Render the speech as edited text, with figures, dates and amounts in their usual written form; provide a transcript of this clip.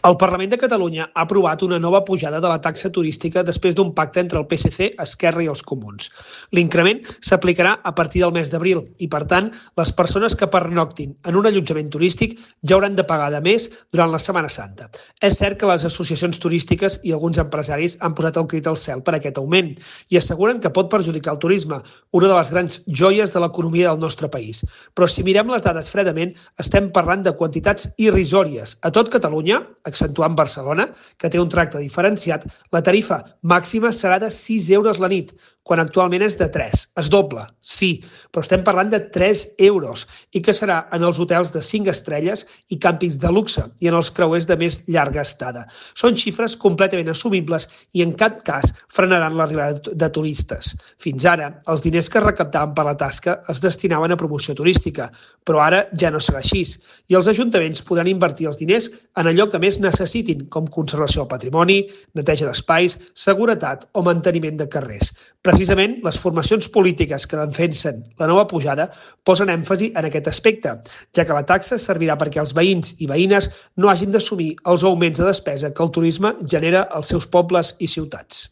El Parlament de Catalunya ha aprovat una nova pujada de la taxa turística després d'un pacte entre el PSC, Esquerra i els Comuns. L'increment s'aplicarà a partir del mes d'abril i, per tant, les persones que pernoctin en un allotjament turístic ja hauran de pagar de més durant la Setmana Santa. És cert que les associacions turístiques i alguns empresaris han posat el crit al cel per aquest augment i asseguren que pot perjudicar el turisme, una de les grans joies de l'economia del nostre país. Però si mirem les dades fredament, estem parlant de quantitats irrisòries. A tot Catalunya, accentuant Barcelona, que té un tracte diferenciat, la tarifa màxima serà de 6 euros la nit, quan actualment és de 3. Es dobla, sí, però estem parlant de 3 euros i que serà en els hotels de 5 estrelles i càmpings de luxe i en els creuers de més llarga estada. Són xifres completament assumibles i en cap cas frenaran l'arribada de turistes. Fins ara, els diners que es recaptaven per la tasca es destinaven a promoció turística, però ara ja no serà així i els ajuntaments podran invertir els diners en allò que més necessitin, com conservació del patrimoni, neteja d'espais, seguretat o manteniment de carrers. Precisament, les formacions polítiques que defensen la nova pujada posen èmfasi en aquest aspecte, ja que la taxa servirà perquè els veïns i veïnes no hagin d'assumir els augments de despesa que el turisme genera als seus pobles i ciutats.